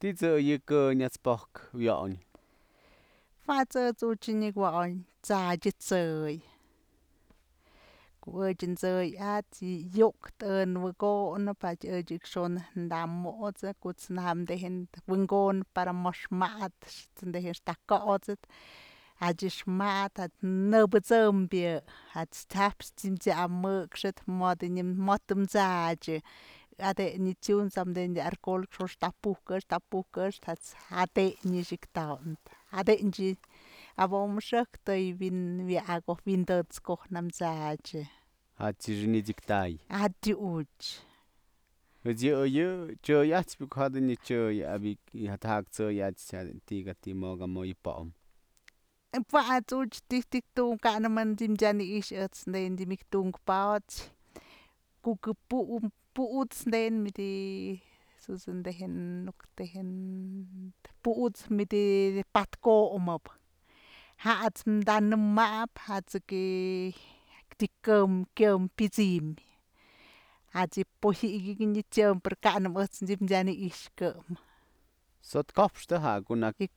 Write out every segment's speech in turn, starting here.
Tizë nyats pok wyañ. Fatsa tsuchini wañ tsaji tsøy. Kuëchin tsøy atsi yuktën wëgo'n padyëch xon ndamot's kuts namdejin wëngon para moxmat ndejin axta ko'otsët adyëx mat nëbëtsëmbyë jat's tsajpyë t'samëkxët mot mtsadyë ade'enyë tyun samden alcohol xox tapujkëx jat's jade'enyë xi'ik tawnë jade'enchë abom xëjk tëy wi'in tët's ko'oj namtsadyë. Jat's nidsiktay. Atyuch. Pues yë chëy atspë ko'o jadënyë chëy jat'jak tsëy atspë ti'ika ti'i mo'ok amoy pa'om. Pat's ti'ij ti'ij tu'u ka'nëmën ji'im t'syan i'ix ndën ji'im tu'unk paots kukë pu'uts ndën pu'uts midi patko'omëp ja'ats danëm ma'ap jat's kyëm pyësëm jat's yë poji'iky nyë pero ka'nëm ëjt's ji'im t'syan i'ixkëm. Sot kopxtë ja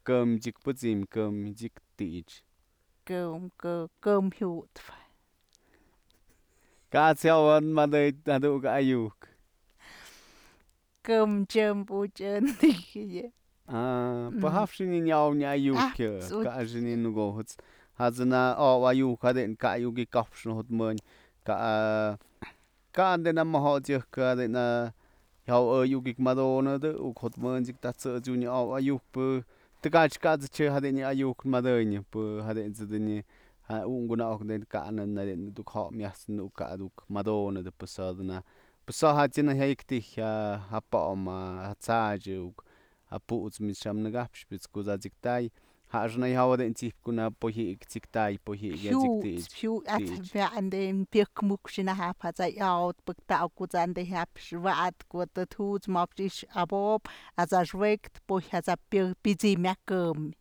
këm pyësëm këm ti'ich. Këm jyutpë. Ka'ts yawan madëy jadukë ayu'uk. Këm tyëmbuch ën dijyë. Pë jajpë xi'in nyaw nyë ayu'uk yë ka xi'in nukujët's jat's na oby ayu'uk jade'en ka'ayu'uk kopxnë jotmëñ ka'ande na mojo'ots yëjk jade'en jawë ayu'uk madunëdë'uk jotmënchik taj tsë'ëts unyë oby ayu'ukpë tëkach kat'së jade'en yë ayu'uk madënyë pë jade'en's dënyë unkuna'ok ka'në naduk jo'ot myajt's nuk ka'aduk madunëdë pues jat's yë jaya'ik ti'i ja pa'om ja tsadë ja pu'uts mich jam nëkapxpyët's ko'o dsa tsiktay jaxnë jawede'en t'sip ko'o poji'iky tsiktay poji'iky at'sik ti'ich. Pyëk muk xinajap jat's ayawët pëktawë ko'o dsa jap wa'at ko'o tëd jut's ma'ox i'ix abo'op jat's axuekt poj jat's pyësëm myaj këmy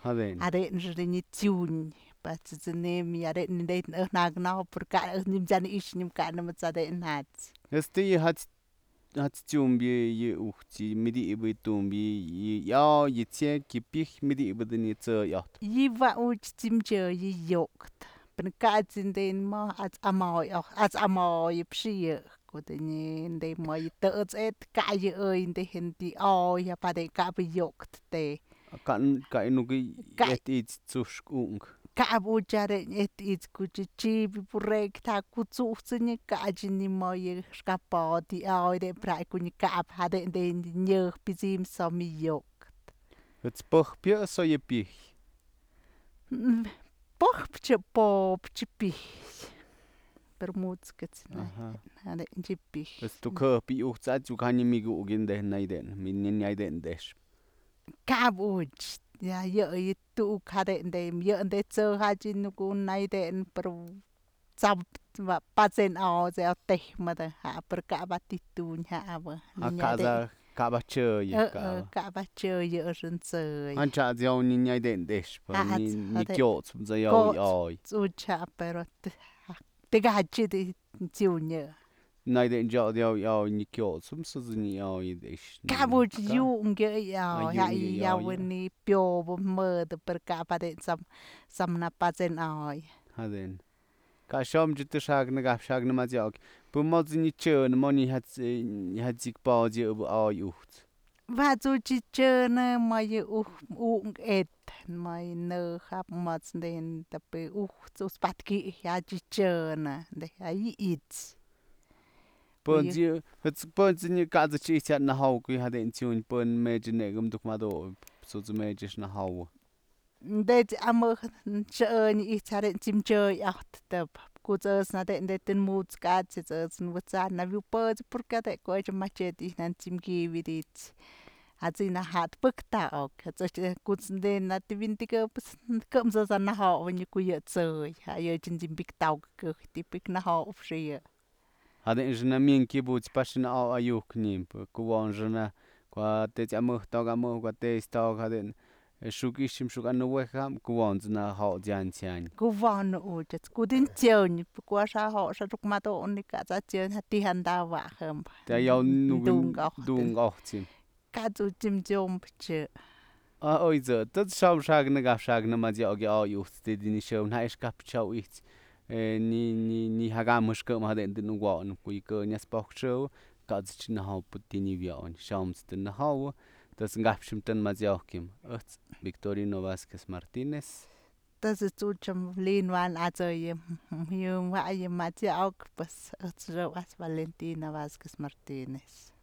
jade'en nyë tyun jade'en ëj naknawëp pero ka'në ji'im t'syan i'ix nyëm ka'nëmët's jade'en jat's. Pues ti'i jat's tyumbë yë ujt's mëdyëbë tumbyë yë y'oy, yë tsye'ekyë, yë pyëj mëdyëbë dënyë tsë'ëy ojtpë. Yë wa'uch tsimchë yë yu'ukt pero ka'ts ndën ma at's amoyëp xi'ijë ko'o dënyë më yë të'ëts e'et ka'ayë ëy ndejn yë oy pade'en ka'abë yu'ukt te. Ka'ay nuk et i'its tsu'uxk unkë. Ka'ap uch jade'en et i'its ko'o chi'ibë burrek ja kutsu'utsënyë ka'ach më yë xkapot yë oy pra'ak ko'o nyë ka'ap jade'en nyëj pyësëm som yë yu'ukt. Ëjt's pëjpyë o yë pyëj? Pëjpë pop'chë pyëj pero mut'skëts jade'en pyëj. Pues tuk jëjpë ujt's at's iuk janyë miku'uk nyayde'en texpë. Ka'ap uch yë tu'uk jade'en yë tsëjach nayde'en pero patsen awat's tëj mëdë pero ka'ap a ti'i tuñ jabë. Ka'ap achëyë. Ka'ap achëyë ëxën tsëy. Ancha'ts yaw nyayde'en texpë ny kyo'otspë dsa yaw yë oy. Kot's uch pero tëkach tyun yë. Nayde'en chyo'ot yaw yë oy ny kyo'otspë sëdë ny oy i'ix. Ka'ap uch yu'unk yë oy yawën pyobë mëdë pero ka'ap jade'en sam napatsen oy. Jade'en ka xomchë të xa'ak nëkapxë xa'ak nëmat'syo'ok pë mot's ny chə'në monyë jat's ik po'ots yëbë oy ujt's. Wat's uch chə'në më yë unk et më yë në jap mot's ndejn ujt's patki'i jach chə'në ay i'its. Pënt's ny ka'tsëch i'its jat najawë jade'en tyun pën mechë nekëm tuk madupë t'su'uts mechë najawë. Det's amëjk xa'ënyë i'its jade'en tsimchëy ajtëp ko'ots ëjt's nade'en tën mut's ka'atsëch ëjt's wët'sany nawi'upët's porque jadë ko'o ech machet nan tsimki'iwyë dit's jat's najat pëktawëk ko'ots ndën wi'intikëp kë'ëm dsa najawë ko'o yë tsë'ëy jayëch ji'im piktawëk këjtyë pik najawë xi'ijë. Jade'en namyën kyëbu'uts pax oy ayu'uk nympë kuwonxë ko'o tët's amëjk te'ex to'ok jade'en xuk i'ixëm xuk anëwejam kuwon's jo'ots yantzyañ. Kuwon uch ko'o din tsyeñ ko'o ja jo'ox madunëp ka'ts at's ti'i jandawa'ajëm. Te yaw dunk ojt's. Kadu Jim Jompje. Oi zo, dat zou sagen gaf sagen ma ja ge au de ni show na is kap chau ich ni hagamos que ma den no wa no ku ko ni spok show ka chin na hau putti ni vi on shams den na hau das gaf shimten ma ja kim Victorino Vázquez Martínez. Das ist so zum Lehnwan, also jung war jemand ja auch was Valentina Vázquez Martínez.